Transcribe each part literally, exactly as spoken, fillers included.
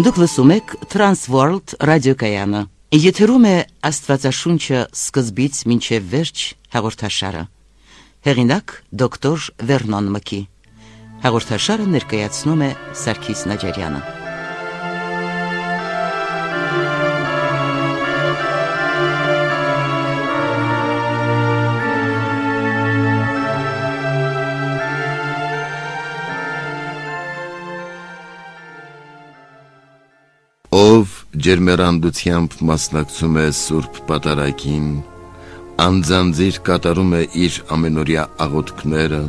Դուք լսում եք Transworld ռադիոկայանը։ Եթերում է Աստվածաշունչը սկզբից մինչև վերջ հաղորդաշարը։ Հեղինակ դոկտոր Վերնոն Մկի։ Հաղորդաշարը ներկայացնում է Սարգիս Նաջարյանը։ Ով ջերմեռանդությամբ մասնակցում է Սուրբ Պատարագին, անձանձիր կատարում է իր ամենօրյա աղոթքները,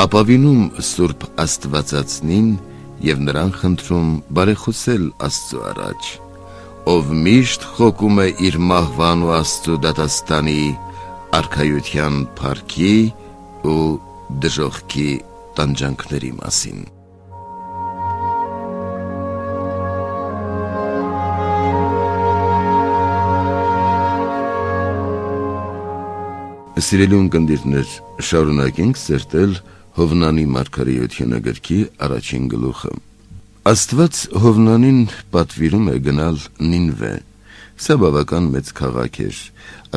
ապավինում Սուրբ Աստվածածնին և նրան խնդրում բարեխոսել Աստծու առաջ, ով միշտ խոկում է իր մահվան ու Աստծու դատաստանի, արքայության փառքի ու դժոխքի տանջանքների մասին։ Սիրելի ունկնդիրներ, շարունակենք սերտել Հովնանի մարգարեությունը գրքի առաջին գլուխը։ Աստված Հովնանին պատվիրում է գնալ Նինվե։ Սա բավական մեծ քաղաք էր,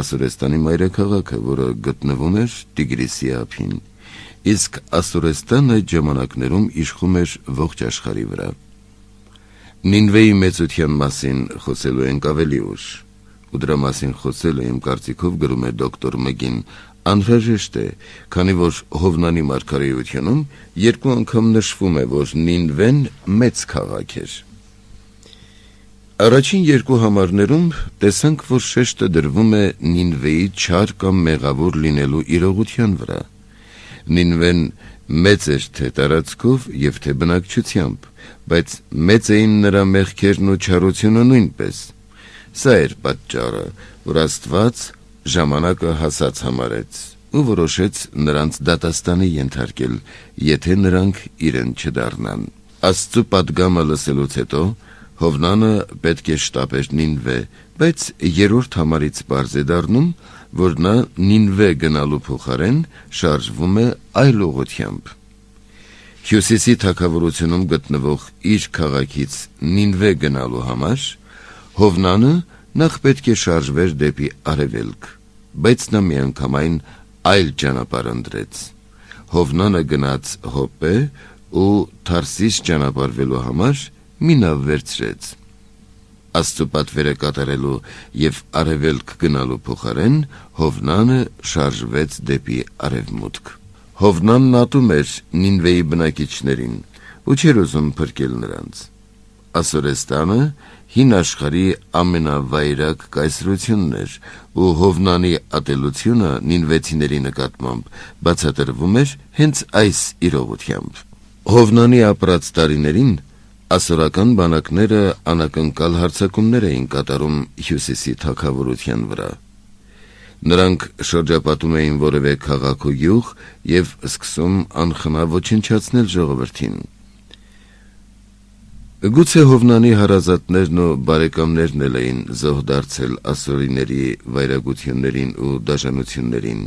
Ասորեստանի մայրաքաղաքը, որը գտնվում էր Տիգրիսի ափին, իսկ Ասորեստանը այդ ժամանակներում իշխում էր ողջ աշխարհի վրա։ Նինվեի մեծության մասին խոսելու ենք ավելի ուշ, ու դրա մասին խոսելը իմ կարծիքով, գրում է դոկտոր Մգին, անհրաժեշտ է, քանի որ Հովնանի մարգարեությունում երկու անգամ նշվում է, որ Նինվեն մեծ քաղաք էր։ Առաջին երկու համարներում տեսանք, որ շեշտը դրվում է Նինվեի չար կամ մեղավոր լինելու իրողության վրա։ Նինվեն մեծ էր թե տարածքով և թե բնակչությամբ, բայց մեծ էին նրա մեղքերն ու չարությունը նույնպես։ Սա էր պատճառը, որ Աստված ժամանակը հասած համարեց ու որոշեց նրանց դատաստանի ենթարկել, եթե նրանք իրեն չդառնան։ Աստծու պատգամը լսելուց հետո Հովնանը պետք է շտապեր Նինվե, բայց երրորդ համարից պարզ է դառնում, որ նա Նինվե գնալու փոխարեն շարժվում է այլ ուղղությամբ։ Հյուսիսի թագավորությունում գտնվող իր քաղաքից Նինվե գնալու համար Հովնանը նախ պետք է շարժվեր դեպի արևելք, բայց նա միանգամայն այլ ճանապարհ ընտրեց։ Հովնանը գնաց Հոպե ու Թարսիս ճանապարհվելու համար մի նավ վերցրեց։ Աստծու պատվերը կատարելու և արևելք գնալու փոխարեն Հովնանը շարժվեց դեպի արևմուտք։ Հովնանն ատում էր Նինվեի բնակիչներին ու չէր ուզում փրկել նրանց։ Ասորեստանը հին աշխարհի ամենավայրագ կայսրությունն էր, ու Հովնանի ատելությունը նինվեցիների նկատմամբ բացատրվում էր հենց այս իրողությամբ։ Հովնանի ապրած տարիներին ասորական բանակները անակնկալ հարձակումներ էին կատարում հյուսիսի թագավորության վրա։ Նրանք շրջապատում էին որևէ քաղաք ու գյուղ և սկսում անխնա ոչնչացնել ժողովրդին։ Գուցե Հովնանի հարազատներն ու բարեկամներն էլ էին զոհ դարձել ասորիների վայրագություններին ու դաժանություններին։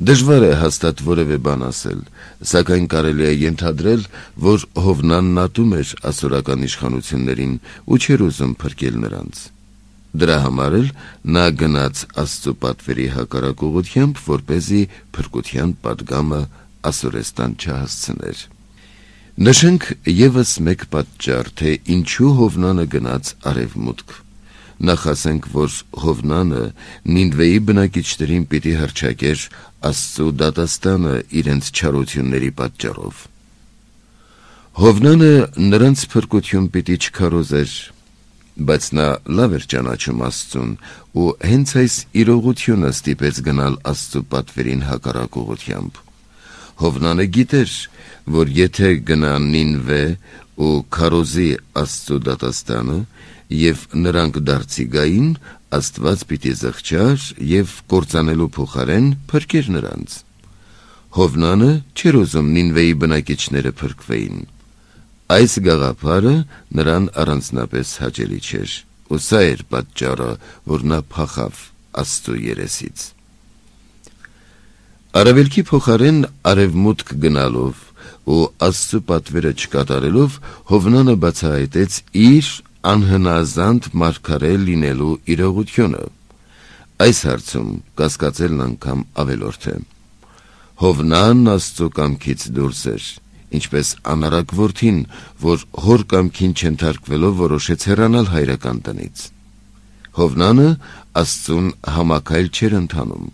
Դժվար է հաստատ որևէ բան ասել, սակայն կարելի է ենթադրել, որ Հովնանն ատում էր ասորական իշխանություններին ու չէր ուզում փրկել նրանց։ Դրա համար էլ նա գնաց Աստծու պատվերի հակառակ ուղղությամբ, որպեսզի փրկության պատգամը Ասորեստան չհասցներ։ Նշենք ևս մեկ պատճառ, թե ինչու Հովնանը գնաց արևմուտք։ Նախ ասենք, որ Հովնանը Նինվեի բնակիչներին պիտի հռչակեր Աստծու դատաստանը իրենց չարությունների պատճառով։ Հովնանը նրանց փրկություն պիտի չքարոզեր, բայց նա լավ էր ճանաչում Աստծուն ու հենց այս իրողությունը ստիպեց գնալ Աստծու պատվերին հակառակ ուղղությամբ։ Հովնանը գիտեր, որ եթե գնա Նինվե ու քարոզի Աստծու դատաստանը և նրանք դարձի գային, Աստված պիտի զղջար և կործանելու փոխարեն փրկեր նրանց։ Հովնանը չէր ուզում Նինվեի բնակիչները փրկվեին։ Այս գաղափարը նրան առանձնապես հաճելի չէր, ու սա էր պատճառը, որ նա փախավ Աստծու երեսից։ Արևելքի փոխարեն արևմուտք գնալով ու Աստծու պատվերը չկատարելով Հովնանը բացահայտեց իր անհնազանդ մարգարե լինելու իրողությունը։ Այս հարցում կասկածելն անգամ ավելորդ է։ Հովնանն Աստծո կամքից դուրս էր, ինչպես անարակ որդին, որ հոր կամքին չենթարկվելով որոշեց հեռանալ հայրական տնից։ Հովնանը Աստծուն համակայլ չէր ընթանում։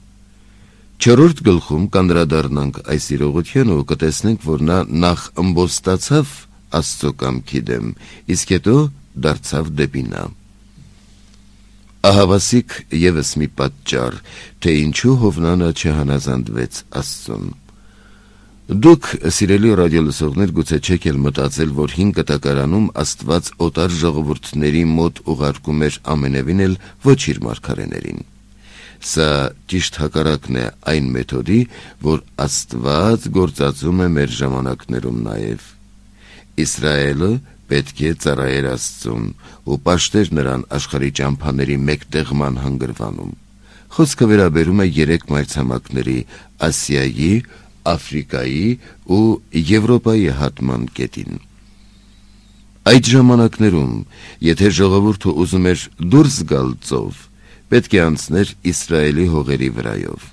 Չորրորդ գլխում կանդրադառնանք այս իրողությանը ու կտեսնենք, որ նա նախ ըմբոստացավ Աստծո կամքի դեմ, իսկ հետո դարձավ դեպի նա։ Ահավասիկ ևս մի պատճառ, թե ինչու Հովնանը չհանազանդվեց Աստծուն։ Դուք, սիրելի ռադիոլսողներ, գուցե չեք էլ մտածել, որ հին կտակարանում Աստված օտար ժողովուրդների մոտ ուղարկում էր ամենևին էլ ոչ իր մարգարեներին։ Սա ճիշտ հակառակն է այն մեթոդի, որ Աստված գործածում է մեր ժամանակներում նաև։ Իսրայելը պետք է ծառայեր Աստծուն ու պաշտեր նրան աշխարհի ճամփաների մեկտեղման հանգրվանում։ Խոսքը վերաբերում է երեք մայրցամաքների՝ Ասիայի, Աֆրիկայի ու Եվրոպայի հատման կետին։ Այդ ժամանակներում, եթե ժողովուրդը ուզում էր դուրս գալ ծով, պետք է անցներ Իսրայելի հողերի վրայով։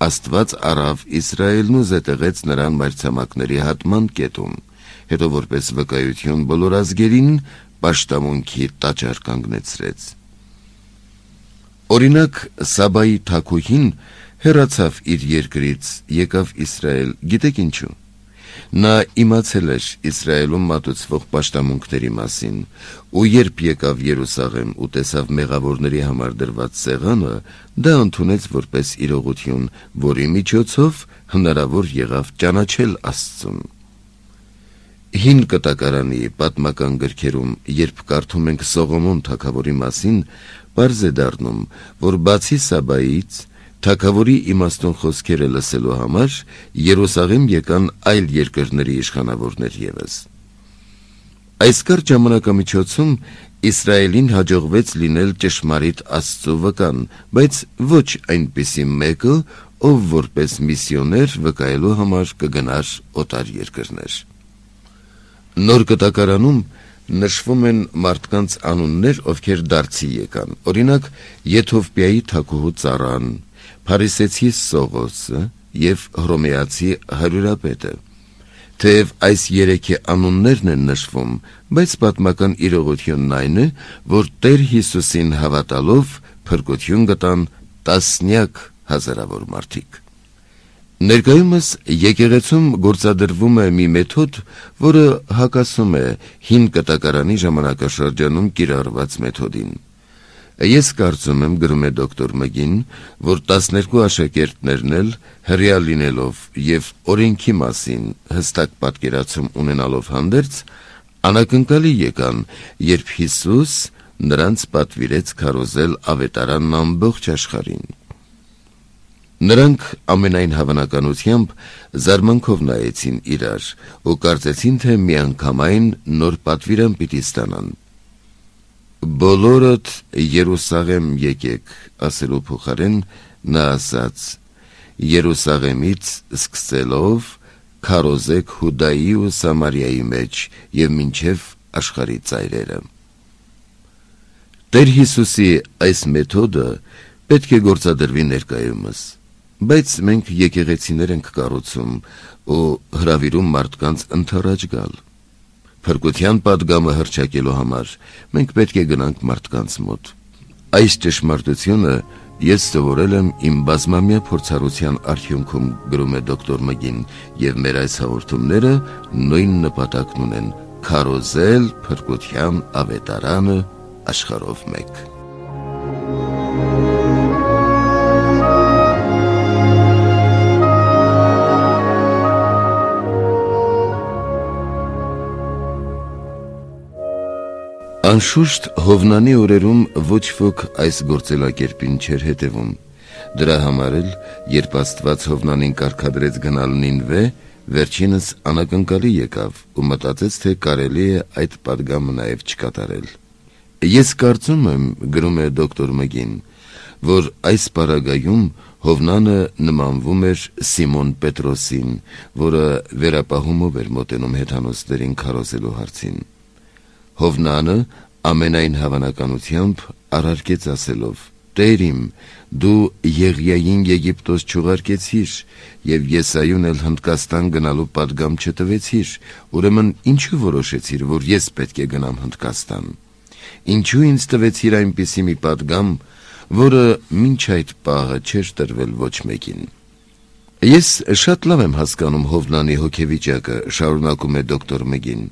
Աստված առավ Իսրայելն ու զետեղեց նրան մայրցամաքների հատման կետում, հետո որպես վկայություն բոլոր ազգերին պաշտամունքի տաճար կանգնեցրեց։ Օրինակ, Սաբայի թագուհին հեռացավ իր երկրից, եկավ Իսրայել, գիտեք ինչու։ Նա իմացել էր Իսրայելում մատուցվող պաշտամունքների մասին, ու երբ եկավ Երուսաղեմ ու տեսավ մեղավորների համար դրված սեղանը, դա ընդունեց որպես իրողություն, որի միջոցով հնարավոր եղավ ճանաչել Աստծուն։ Հին կտակարանի պատմական գրքերում, երբ կարդում ենք Սողոմոն թագավորի մասին, պարզ է դառնում, որ բացի Սաբայից, թագավորի իմաստուն խոսքերը լսելու համար Երուսաղեմ եկան այլ երկրների իշխանավորներ ևս։ Այս կարճ ժամանակամիջոցում Իսրայելին հաջողվեց լինել ճշմարիտ Աստծո վկան, բայց ոչ այնպիսի մեկը, ով որպես միսիոներ վկայելու համար կգնար օտար երկրներ։ Նոր կտակարանում նշվում են մարդկանց անուններ, ովքեր դարձի եկան, օրինակ Եթովպիայի թագուհու Ծառան, Փարիսեցի Սողոսը և Հռոմեացի հարյուրապետը։ Թեև այս երեքի անուններն են նշվում, բայց պատմական իրողությունն այն է, որ Տեր Հիսուսին հավատալով փրկություն գտան տասնյակ հազարավոր մարդիկ։ Ներկայումս եկեղեցում գործադրվում է մի մեթոդ, որը հակասում է հին կտակարանի ժամանակաշրջանում կիրառված մեթոդին։ Ես կարծում եմ, գրում է դոկտոր Մգին, որ տասներկու աշակերտներն էլ հրեա լինելով և օրենքի մասին հստակ պատկերացում ունենալով հանդերձ, անակնկալի եկան, երբ Հիսուս նրանց պատվիրեց քարոզել ավետարանն ամբողջ աշխարհին։ Նրանք ամենայն հավանականությամբ զարմանքով նայեցին իրար ու կարծեցին, թե միանգամայն նոր պատվիրան պիտի ստանան։ Բոլորդ Երուսաղեմ եկեք, ասելու փոխարեն նա ասաց. Երուսաղեմից սկսելով քարոզեք Հուդայի ու Սամարիայի մեջ և մինչև աշխարհի ծայրերը։ Տեր Հիսուսի այս մեթոդը պետք է գործադրվի ներկայումս, բայց մենք եկեղեցիներ ենք կառուցում ու հրավիրում մարդկանց ընդառաջ գալ։ Փրկության պատգամը հռչակելու համար մենք պետք է գնանք մարդկանց մոտ։ Այս ճշմարտությունը ես սովորել եմ իմ բազմամյա փորձառության արդյունքում, գրում է դոկտոր Մգին, և մեր այս հաղորդումները նույն նպատակն ունեն՝ քարոզել փրկության ավետարանը աշխարհով մեկ։ Անշուշտ Հովնանի օրերում ոչ ոք այս գործելակերպին չէր հետևում։ Դրա համար էլ, երբ Աստված Հովնանին կարգադրեց գնալ Նինվե, վերջինս անակնկալի եկավ ու մտածեց, թե կարելի է այդ պատգամը նաև չկատարել։ Ես կարծում եմ, գրում է դոկտոր Մգին, որ այս պարագայում Հովնանը նմանվում էր Սիմոն Պետրոսին, որը վերապահումով էր մոտենում հեթանոսներին քարոզելու հարցին։ Հովնանը ամենայն հավանականությամբ առարկեց ասելով. «Տեր իմ, դու Եղիային Եգիպտոս չուղարկեցիր եւ Եսայուն էլ Հնդկաստան գնալու պատգամ չտվեցիր, ուրեմն ինչու որոշեցիր, որ ես պետք է գնամ Հնդկաստան։ Ինչու ինձ տվեցիր այնպիսի մի պատգամ, որը մինչ այդ պահը չէր տրվել ոչ մեկին»։ Ես շատ լավ եմ հասկանում Հովնանի հոգեվիճակը, շարունակում է դոկտոր Մգին։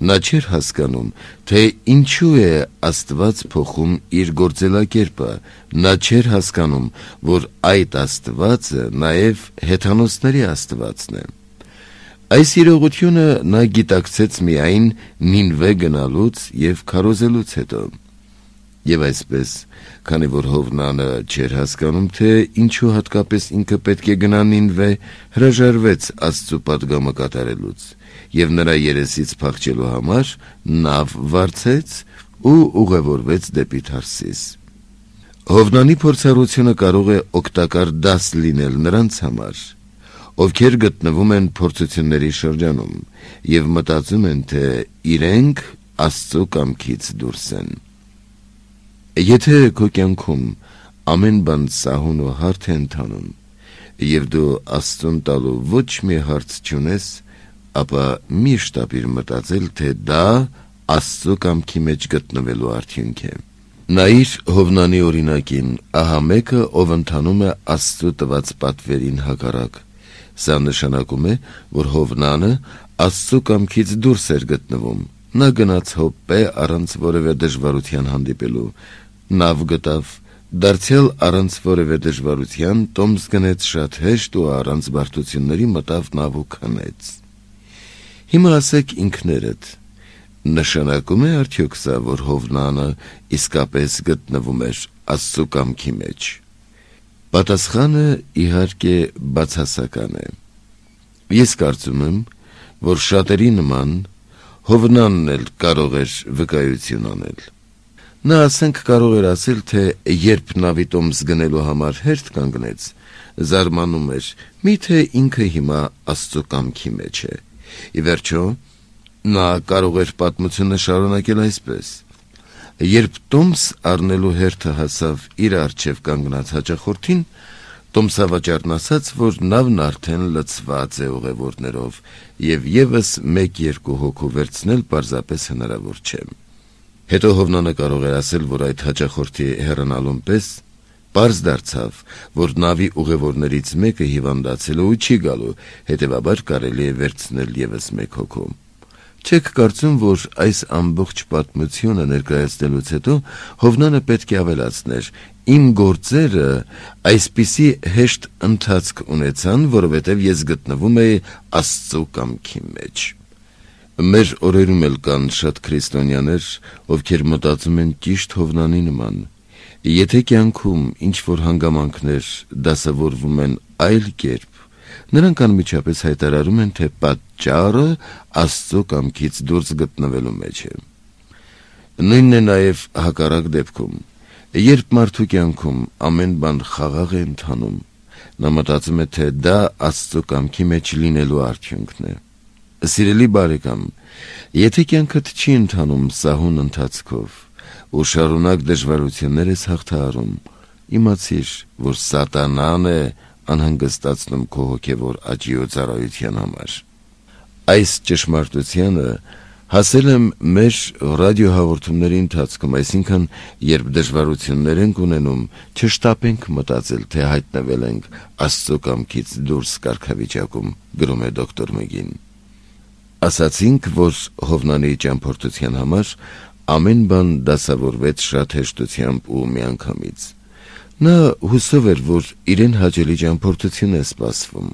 Նա չէր հասկանում, թե ինչու է Աստված փոխում իր գործելակերպը, նա չէր հասկանում, որ այդ Աստվածը նաև հեթանոսների Աստվածն է։ Այս իրողությունը նա գիտակցեց միայն Նինվե գնալուց եւ քարոզելուց հետո։ Եվ այսպես, քանի որ Հովնանը չէր հասկանում, թե ինչու հատկապես ինքը պետք է գնա Նինվե, հրաժարվեց Աստծու պատգամը կատարելուց եւ նրա երեսից փախչելու համար նավ վարձեց ու ուղևորվեց դեպի Թարսիս։ Հովնանի փորձառությունը կարող է օգտակար դաս լինել նրանց համար, ովքեր գտնվում են փորձությունների շրջանում եւ մտածում են, թե իրենք Աստծու կամքից դուրս են։ Եթե քո կյանքում ամեն բան սահուն ու հարթ է ընթանում եւ դու Աստծուն տալու ոչ մի հարց չունես, ապա միշտ ապիր մտածել, թե դա Աստծու կամքի մեջ գտնվելու արդյունք է։ Նայիր Հովնանի օրինակին, ահա մեկը, ով ընթանում է Աստծու տված պատվերին հակառակ։ Սա նշանակում է, որ Հովնանը Աստծու կամքից դուրս էր գտնվում։ Նա գնաց Հոպպե առանց որևէ դժվարության հանդիպելու, նավ գտավ, դարձյալ առանց որևէ դժվարության տոմս գնեց շատ հեշտ ու առանց բարդությունների մտավ նավ ու քնեց։ Հիմա ասեք ինքներդ, նշանակում է արդյոք սա, որ Հովնանը իսկապես գտնվում էր Աստծու կամքի մեջ։ Պատասխանը իհարկե բացասական է։ Ես կարծում եմ, որ շատերի նման Հովնանն էլ կարող էր վկայություն անել։ Նա ասենք կարող էր ասել, թե երբ նավի տոմս գնելու համար հերթ կանգնեց, զարմանում էր, միթե ինքը հիմա Աստծու կամքի մեջ է։ Ի վերջո, նա կարող էր պատմությունը շարունակել այսպես. երբ տոմս առնելու հերթը հասավ իր առջև կանգնած հաճախորդին, տոմսավաճառն ասաց, որ նավն արդեն լցված է ուղևորներով եւ եւս մեկ-երկու հոգու վերցնել պարզապես հնարավոր չէ։ Հետո Հովնանը կարող էր ասել, որ այդ հաճախորդի հեռանալուն պես պարզ դարձավ, որ նավի ուղևորներից մեկը հիվանդացել ու չի գալու, հետևաբար կարելի է վերցնել եւս մեկ հոգու։ Չեք կարծում, որ այս ամբողջ պատմությունը ներկայացնելուց հետո Հովնանը պետք է ավելացներ. իմ գործերը այսպիսի հեշտ ընթացք ունեցան, որովհետև ես գտնվում էի Աստծու կամքի մեջ։ Մեր օրերում էլ կան շատ քրիստոնյաներ, ովքեր մտածում են ճիշտ Հովնանի նման։ Եթե կյանքում ինչ-որ հանգամանքներ դասավորվում են այլ կերպ, նրանք անմիջապես հայտարարում են, թե պատճառը Աստծու կամքից դուրս գտնվելու մեջ է։ Նույնն է նաև հակառակ դեպքում։ Երբ մարդու կյանքում ամեն բան խաղաղ է ընթանում, նա մտածում է, թե դա Աստծու կամքի մեջ լինելու արդյունքն է։ Սիրելի բարեկամ, եթե կյանքդ չի ընթանում սահուն ընթացքով ու շարունակ դժվարություններ ես հաղթահարում, իմացիր, որ սատանան է անհանգստացնում քո հոգևոր աճի ու ծառայության համար։ Այս ճշմարտությանը հասել եմ մեր ռադիոհաղորդումների ընթացքում, այսինքն, երբ դժվարություններ ենք ունենում, չշտապենք մտածել, թե հայտնվել ենք Աստծու կամքից դուրս կարգավիճակում, գրում է դոկտոր Մգին։ Ասացինք, որ Հովնանի ճամփորդության համար ամեն բան դասավորվեց շատ հեշտությամբ ու միանգամից։ Նա հուսով էր, որ իրեն հաճելի ճամփորդություն է սպասվում։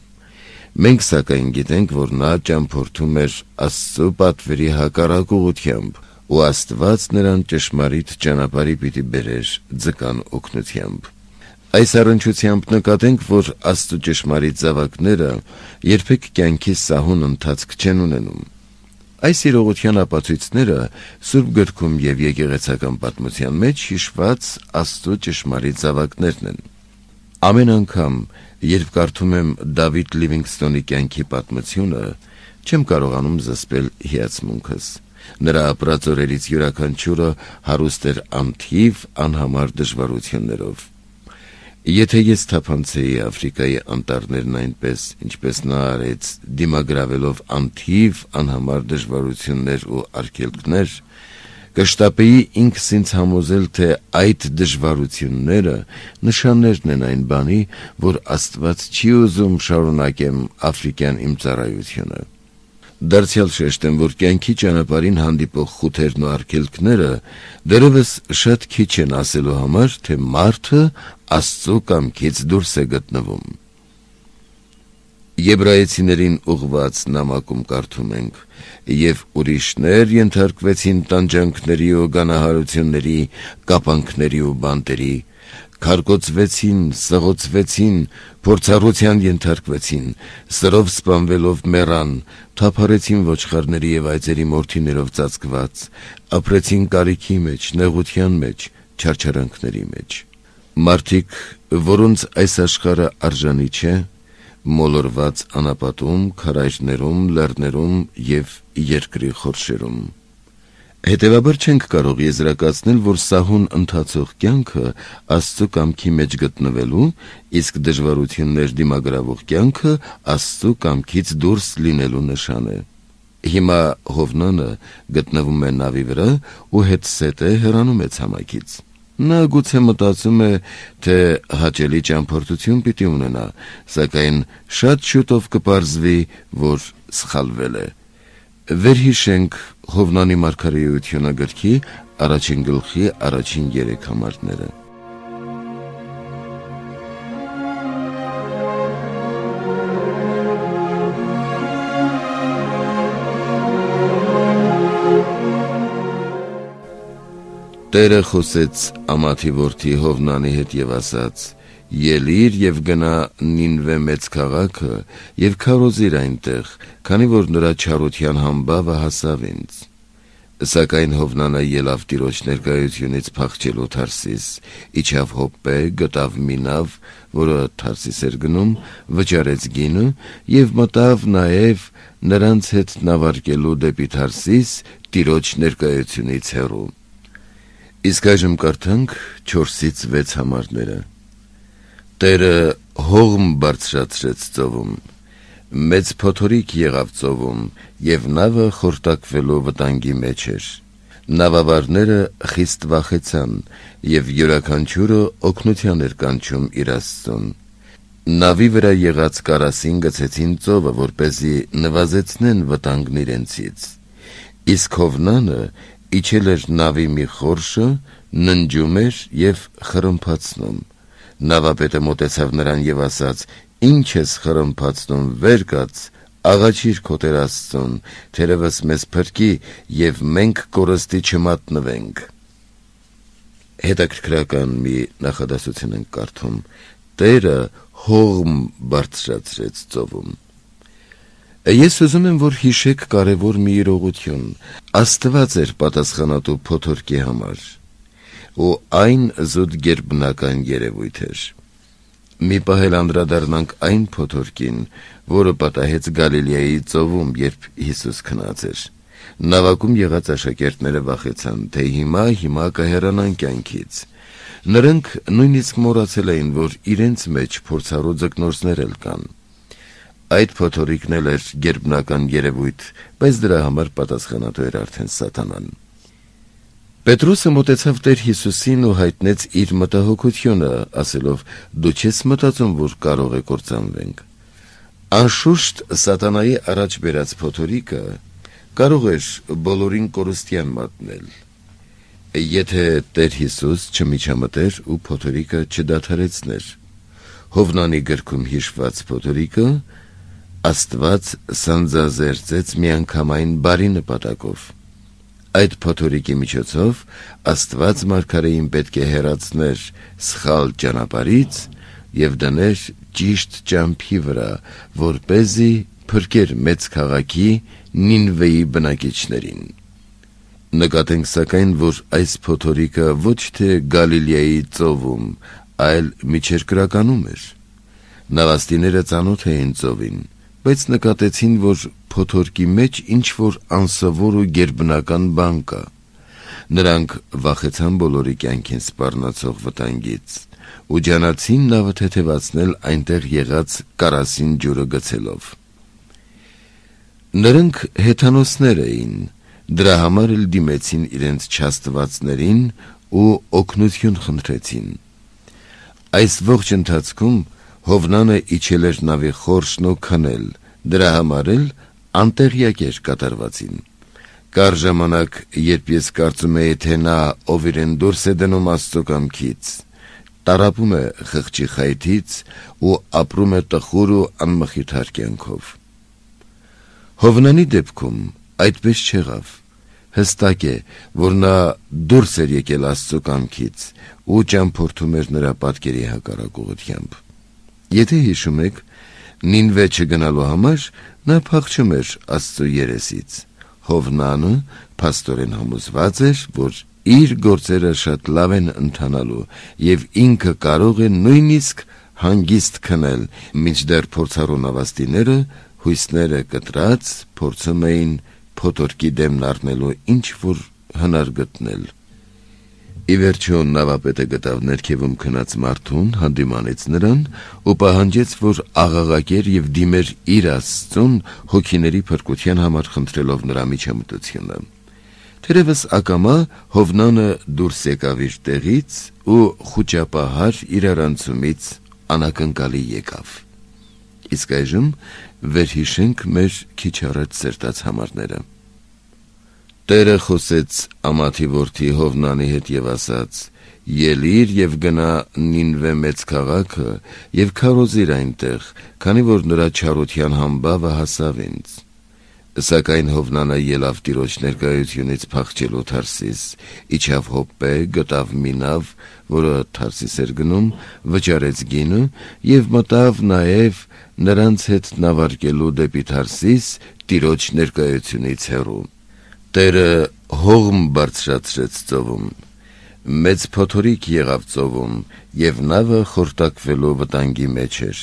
Մենք սակայն գիտենք, որ նա ճամփորդում էր Աստծու պատվերի հակառակ ուղղությամբ, ու Աստված նրան ճշմարիտ ճանապարհի պիտի բերեր ձկան օգնությամբ։ Այս առնչությամբ նկատենք, որ Աստծու ճշմարիտ զավակները երբեք կյանքի սահուն ընթացք չեն ունենում։ Այս իրողության ապացույցները Սուրբ գրքում եւ եկեղեցական պատմության մեջ հիշված Աստծու ճշմարիտ զավակներն են։ Ամեն անգամ, երբ կարդում եմ Դավիթ Լիվինգսթոնի կյանքի պատմությունը, չեմ կարողանում զսպել հիացմունքս։ Նրա ապրած օրերից յուրաքանչյուրը հարուստ էր անթիվ անհամար դժվարություններով։ Եթե ես թափանցեի Աֆրիկայի անտառներն այնպես, ինչպես նա արեց, դիմագրավելով անթիվ անհամար դժվարություններ ու արգելքներ, կշտապեի ինքս ինձ համոզել, թե այդ դժվարությունները նշաններն են այն բանի, որ Աստված չի ուզում շարունակեմ աֆրիկյան իմ ծառայությունը։ Դարձյալ շեշտեմ, որ կյանքի ճանապարհին հանդիպող խութերն ու արգելքները դեռևս շատ քիչ են ասելու համար, թե մարդը Աստծո կամքից դուրս է գտնվում։ Եբրայեցիներին ուղված նամակում կարդում ենք. «Եվ ուրիշներ ենթարկվեցին տանջանքների ու գանահարությունների, կապանքների ու բանտերի, քարկոծվեցին, սղոցվեցին, փորձառության ենթարկվեցին, սրով սպանվելով մեռան, թափառեցին ոչխարների և այծերի մորթիներով ծածկված, ապրեցին կարիքի մեջ, նեղության մեջ, չարչարանքների մեջ»։ Մարդիկ, որոնց այս աշխարհը արժանի չէ, մոլորված անապատում, քարայրներում, լեռներում և երկրի խորշերում։ Հետևաբար չենք կարող եզրակացնել, որ սահուն ընթացող կյանքը Աստծո կամքի մեջ գտնվելու, իսկ դժվարություններ դիմագրավող կյանքը Աստծո կամքից դուրս լինելու նշան է։ Հիմա Հովնանը գտնվում է նավի վրա ու հետզհետե հեռանում է ցամաքից։ Նա գուցե մտածում է, թե հաճելի ճամփորդություն պիտի ունենա, սակայն շատ շուտով կպարզվի, որ սխալվել է։ Վերհիշենք Հովնանի մարգարեությունը գրքի առաջին գլխի առաջին երեք համարները։ Տերը խոսեց Ամաթի որդի Հովնանի հետ և ասաց. «Ելիր և գնա Նինվե մեծ քաղաքը և քարոզիր այնտեղ, քանի որ նրա չարության համբավը հասավ ինձ»։ Սակայն Հովնանը ելավ Տիրոջ ներկայությունից փախչելու Թարսիս, իջավ Հոպպե, գտավ մի նավ, որը Թարսիս էր գնում, վճարեց գինը և մտավ նաև նրանց հետ նավարկելու դեպի Թարսիս, Տիրոջ ներկայությունից հեռու։ Իսկ այժմ կարդանք չորսից վեց համարները։ Տերը հողմ բարձրացրեց ծովում, մեծ փոթորիկ եղավ ծովում, և նավը խորտակվելու վտանգի մեջ էր։ Նավավարները խիստ վախեցան, և յուրաքանչյուրը օգնության էր կանչում իր Աստծուն։ Նավի վրա եղած կարասին գցեցին ծովը, որպեսզի նվազեցնեն վտանգն իրենցից։ Իսկ Հովնանը իջել էր նավի մի խորշը, ննջում էր և խրմփացնում։ Նավապետը մոտեցավ նրան և ասաց. «Ինչ ես խրմփացնում, վեր կաց, աղաչիր քո Տեր Աստծուն, թերևս մեզ փրկի, և մենք կորստի չմատնվենք»։ Հետաքրքրական մի նախադասություն ենք կարդում. Տերը հողմ բարձրացրեց ծովում։ Ես ուզում եմ, որ հիշեք կարևոր մի իրողություն։ Աստված էր պատասխանատու փոթորկի համար, ու այն զուտ գերբնական երևույթ էր։ Մի պահ էլ անդրադառնանք այն փոթորկին, որը պատահեց Գալիլեայի ծովում, երբ Հիսուս քնած էր։ Նավակում եղած աշակերտները վախեցան, թե հիմա հիմա կհեռանան կյանքից։ Նրանք նույնիսկ մոռացել էին, որ իրենց մեջ փորձառու ձկնորսներ էլ կան։ Այդ փոթորիկն էլ էր գերբնական երևույթ, բայց դրա համար պատասխանատու էր արդեն Սատանան։ Պետրոսը մոտեցավ Տեր Հիսուսին ու հայտնեց իր մտահոգությունը, ասելով. «Դու չես մտածում, որ կարող է կործանվենք»։ Անշուշտ Սատանայի առաջ բերած փոթորիկը կարող էր բոլորին կորստյան մատնել, եթե Տեր Հիսուս չմիջամտեր ու փոթորիկը չդադարեցներ։ Հովնանի գրքում հիշված փոթորիկը Աստված սանձազերծեց միանգամայն բարի նպատակով։ Այդ փոթորիկի միջոցով Աստված մարգարեին պետք է հեռացներ սխալ ճանապարհից և դներ ճիշտ ճամփի վրա, որպեսզի փրկեր մեծ քաղաքի Նինվեի բնակիչներին։ Նկատենք սակայն, որ այս փոթորիկը ոչ թե Գալիլեայի ծովում, այլ միջերկրականում էր։ Նավաստիները ծանոթ էին ծովին, բայց նկատեցին, որ փոթորկի մեջ ինչ-որ անսովոր ու գերբնական բան կա։ Նրանք վախեցան բոլորի կյանքին սպառնացող վտանգից ու ջանացին նավը թեթևացնել այնտեղ եղած կարասին ջուրը գցելով։ Նրանք հեթանոսներ էին, դրա համար էլ դիմեցին իրենց չաստվածներին ու օգնություն խնդրեցին։ Այս ողջ ընթացքում Հովնանը իջել էր նավի խորշն ու քնել, դրա համար էլ անտեղյակ էր կատարվածին։ Կար ժամանակ, երբ ես կարծում էի, թե նա, ով իրեն դուրս է դնում Աստծո կամքից, տարապում է խղճի խայթից ու ապրում է տխուր ու անմխիթար կյանքով։ Հովնանի դեպքում այդպես չեղավ։ Հստակ է, որ նա դուրս էր եկել Աստծո կամքից ու ճամփորդում էր նրա պատկերի հակառակ ուղղությամբ։ Եթե հիշում եք, Նինվե չգնալու համար նա փախչում էր Աստծո երեսից։ Հովնանը փաստորեն համոզված էր, որ իր գործերը շատ լավ են ընթանալու եւ ինքը կարող է նույնիսկ հանգիստ քնել, մինչդեռ փորձառու նավաստիները հույսները կտրած փորձում էին փոթորկի դեմն առնելու ինչ-որ հնար գտնել։ Ի վերջո նավապետը գտավ ներքևում քնած մարդուն, հանդիմանեց նրան ու պահանջեց, որ աղաղակեր եւ դիմեր իր Աստծուն հոգիների փրկության համար խնդրելով նրա միջամտությունը։ Թերևս ակամա Հովնանը դուրս եկավ իր տեղից ու խուճապահար իրարանցումից անակնկալի եկավ։ Իսկ այժմ վերհիշենք մեր քիչ առաջ սերտած համարները։ Տերը խոսեց Ամաթի որդի Հովնանի հետ եւ ասաց. «Ելիր եւ գնա Նինվե մեծ քաղաքը եւ քարոզիր այնտեղ, քանի որ նրա չարության համբավը հասավ ինձ»։ Սակայն Հովնանը ելավ Տիրոջ ներկայությունից փախչելու Թարսիս, իջավ Հոպպե, գտավ մի նավ, որը Թարսիս էր գնում, վճարեց գինը եւ մտավ նաեւ նրանց հետ նավարկելու դեպի Թարսիս Տիրոջ ներկայությունից հեռու։ Տերը հողմ բարձրացրեց ծովում, մեծ փոթորիկ եղավ ծովում եւ նավը խորտակվելու վտանգի մեջ էր։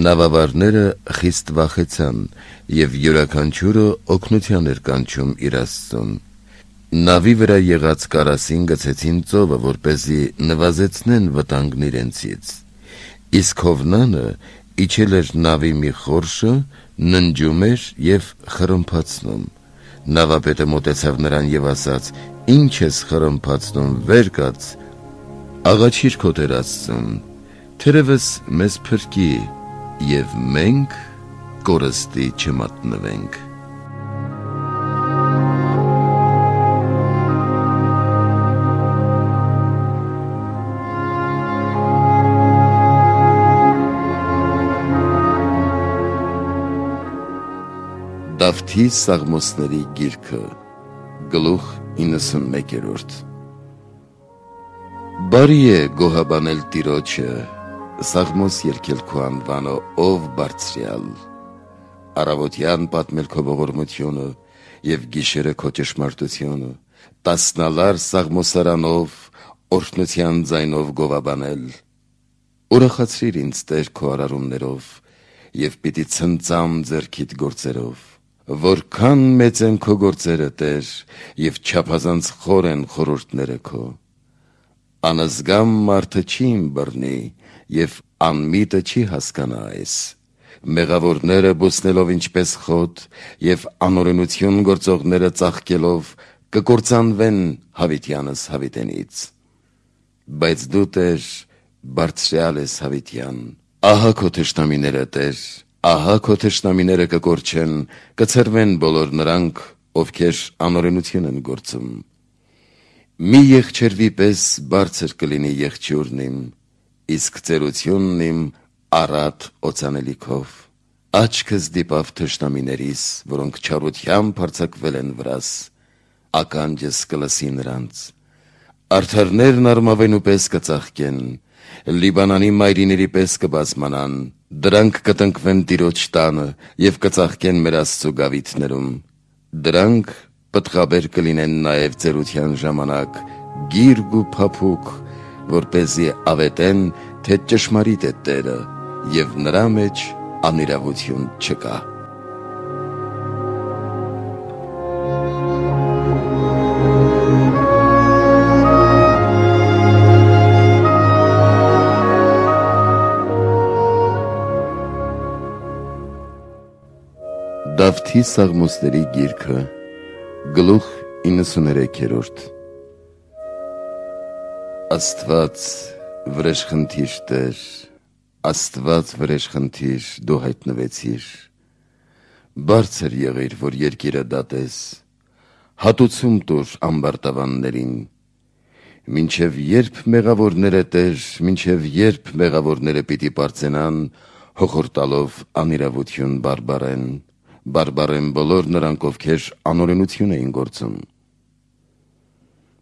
Նավավարները խիստ վախեցան եւ յուրաքանչյուրը օգնության էր կանչում իր Աստծուն։ Նավի վրա եղած կարասին գցեցին ծովը, որպեսզի նվազեցնեն վտանգն իրենցից։ Իսկ Հովնանը իջել էր նավի մի խորշը, ննջում էր եւ խրմփացնում։ Նավապետը մոտեցավ նրան եւ ասաց. «Ինչ ես խրմփացնում, վեր կաց, աղաչիր քո Տեր Աստծուն, թերևս մեզ փրկի եւ մենք կորստի չմատնվենք»։ Դավթի Սաղմոսների գիրքը, գլուխ իննսունմեկերորդ։ Բարի է գոհաբանել Տիրոջը, Սաղմոս երգել քո անվանը, ով բարձրյալ, առավոտյան պատմել քո ողորմությունը եւ գիշերը քո ճշմարտությունը, տասնալար սաղմոսարանով, օրհնության ձայնով գովաբանել։ Ուրախացրիր ինձ Տեր քո արարումներով եւ պիտի ցնծամ ձեռքիդ գործերով։ Որքան մեծ են քո գործերը, Տեր, եւ չափազանց խոր են խորհուրդները քո։ Անզգամ մարդը չի ըմբռնի եւ անմիտը չի հասկանա այս։ Մեղավորները բուսնելով ինչպես խոտ եւ անօրենություն գործողները ծաղկելով կկործանվեն հավիտյանս հավիտենից։ Բայց դու, Տեր, բարձրյալ ես հավիտյան։ Ահա քո թշնամիները, Տեր, ահա քո թշնամիները կկորչեն, կցրվեն բոլոր նրանք, ովքեր անօրենություն են գործում։ Մի եղջերվի պես բարձր կլինի եղջյուրն իմ, իսկ ծերությունն իմ առատ օծանելիքով։ Աչքս դիպավ թշնամիներիս, որոնք չարությամբ հարձակվել են վրաս, ականջս կլսի նրանց։ Արդարներն արմավենու պես կծաղկեն, Լիբանանի մայրիների պես կբազմանան, դրանք կտնկվեն Տիրոջ տանը եւ կծաղկեն մեր Աստծո գավիթներում։ Դրանք պտղաբեր կլինեն նաեւ ծերության ժամանակ, գիրգ ու փափուկ, որպեսզի ավետեն, թե ճշմարիտ է Տերը եւ նրա մեջ անիրավություն չկա։ Դավթի Սաղմոսների գիրքը, գլուխ իննսուներեքերորդ։ Աստված վրեժխնդիր Տեր, Աստված վրեժխնդիր դու հայտնվեցիր, բարձր եղիր, որ երկիրը դատես, հատուցում տուր ամբարտավաններին, մինչև երբ մեղավորները Տեր, մինչև երբ մեղավորները պիտի պարծենան, հոխորտալով անիրավություն բարբարեն, բարբարեն բոլոր նրանք, ովքեր անօրենություն էին գործում։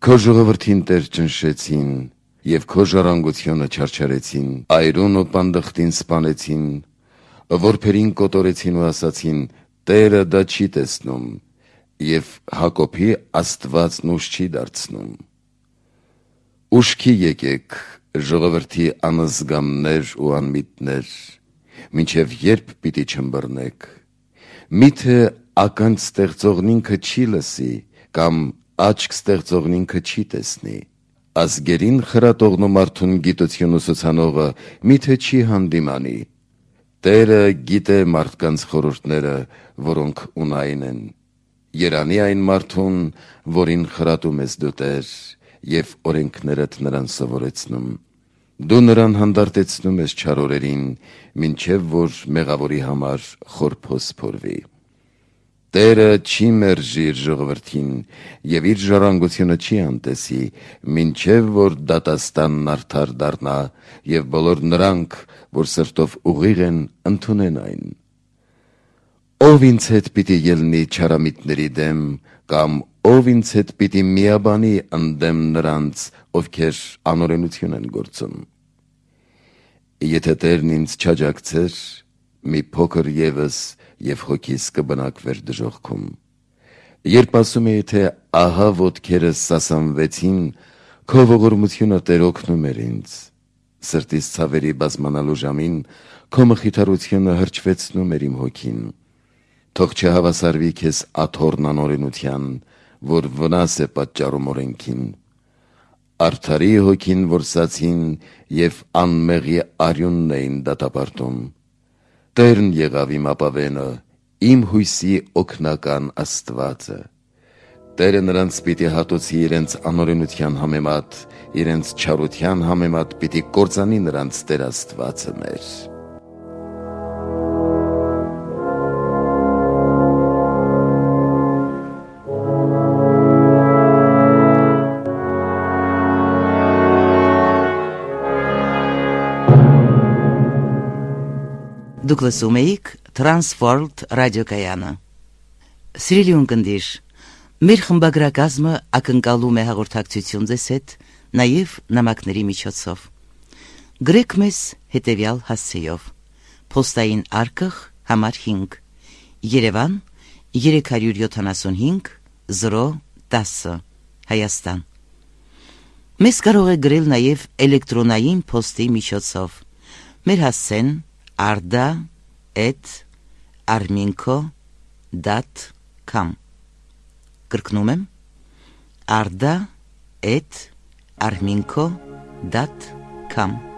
Քո ժողովրդին Տեր ճնշեցին, և քո ժառանգությունը չարչարեցին, այրուն ու պանդխտին սպանեցին, որբերին կոտորեցին ու ասացին, Տերը դա չի տեսնում, և Հակոբի Աստվածն ուժ չի դարձնում։ Ուշքի եկեք, ժողովրդի անզգամներ ու անմիտներ, մինչև երբ պիտի չմբռնեք, միթե ականջ ստեղծողն ինքը չի լսի, կամ աչք ստեղծողն ինքը չի տեսնի, ազգերին խրատողն ու մարդուն գիտություն ուսուցանողը միթե չի հանդիմանի, Տերը գիտե մարդկանց խորհուրդները, որոնք ունայն են, երանի այն մարդուն, որին խրատում ես դու Տեր, և օրենքներդ նրան սովորեցնում, դու նրան հանդարտեցնում ես չար օրերին, մինչև որ մեղավորի համար խորփոս փորվի։ Տերը չի մերժի իր ժողովրդին, և իր ժառանգությունը չի անտեսի, մինչև որ դատաստանն արդար դառնա, և բոլոր նրանք, որ սրտով ուղիղ են, ընդունեն այն։ Ով ինձ հետ պիտի ելնի չարամիտների դեմ, կամ ով ինձ հետ պիտի միաբանի ընդդեմ նրանց, ովքեր անօրենություն են գործում։ Եթե Տերն ինձ չաջակցեր, մի փոքր ևս և հոգիս կբնակվեր դժոխքում։ Երբ ասում էի, թե ահա ոտքերս սասանվեցին, քո ողորմությունը Տեր օգնում էր ինձ։ Սրտիս ցավերի բազմանալու ժամին քո մխիթարությունը հրճվեցնում էր իմ հոգին։ Թող չհավասարվի քեզ աթոռն անօրենության, որ վնաս է պատճառում օրենքին։ Արդարի հոգին որսացին և անմեղի արյունն էին դատապարտում։ Տերն եղավ իմ ապավենը, իմ հույսի օգնական Աստվածը։ Տերը նրանց պիտի հատուցի իրենց անօրենության համեմատ, իրենց չարության համեմատ պիտի կործանի նրանց Տեր Աստվածը մեր։ Դուք լսում էիք Transworld ռադիոկայանը։ Սիրելի ունկնդիր, մեր խմբագրակազմը ակնկալում է հաղորդակցություն ձեզ հետ, նաև նամակների միջոցով։ Գրեք մեզ հետևյալ հասցեով. Փոստային արկղ համար հինգ, Երևան երեք յոթանասունհինգ զրո տասը, Հայաստան։ Մեզ կարող է գրել նաև էլեկտրոնային փոստի միջոցով։ Մեր հասցեն arda at arminco dot com Կրկնում եմ arda at arminco dot com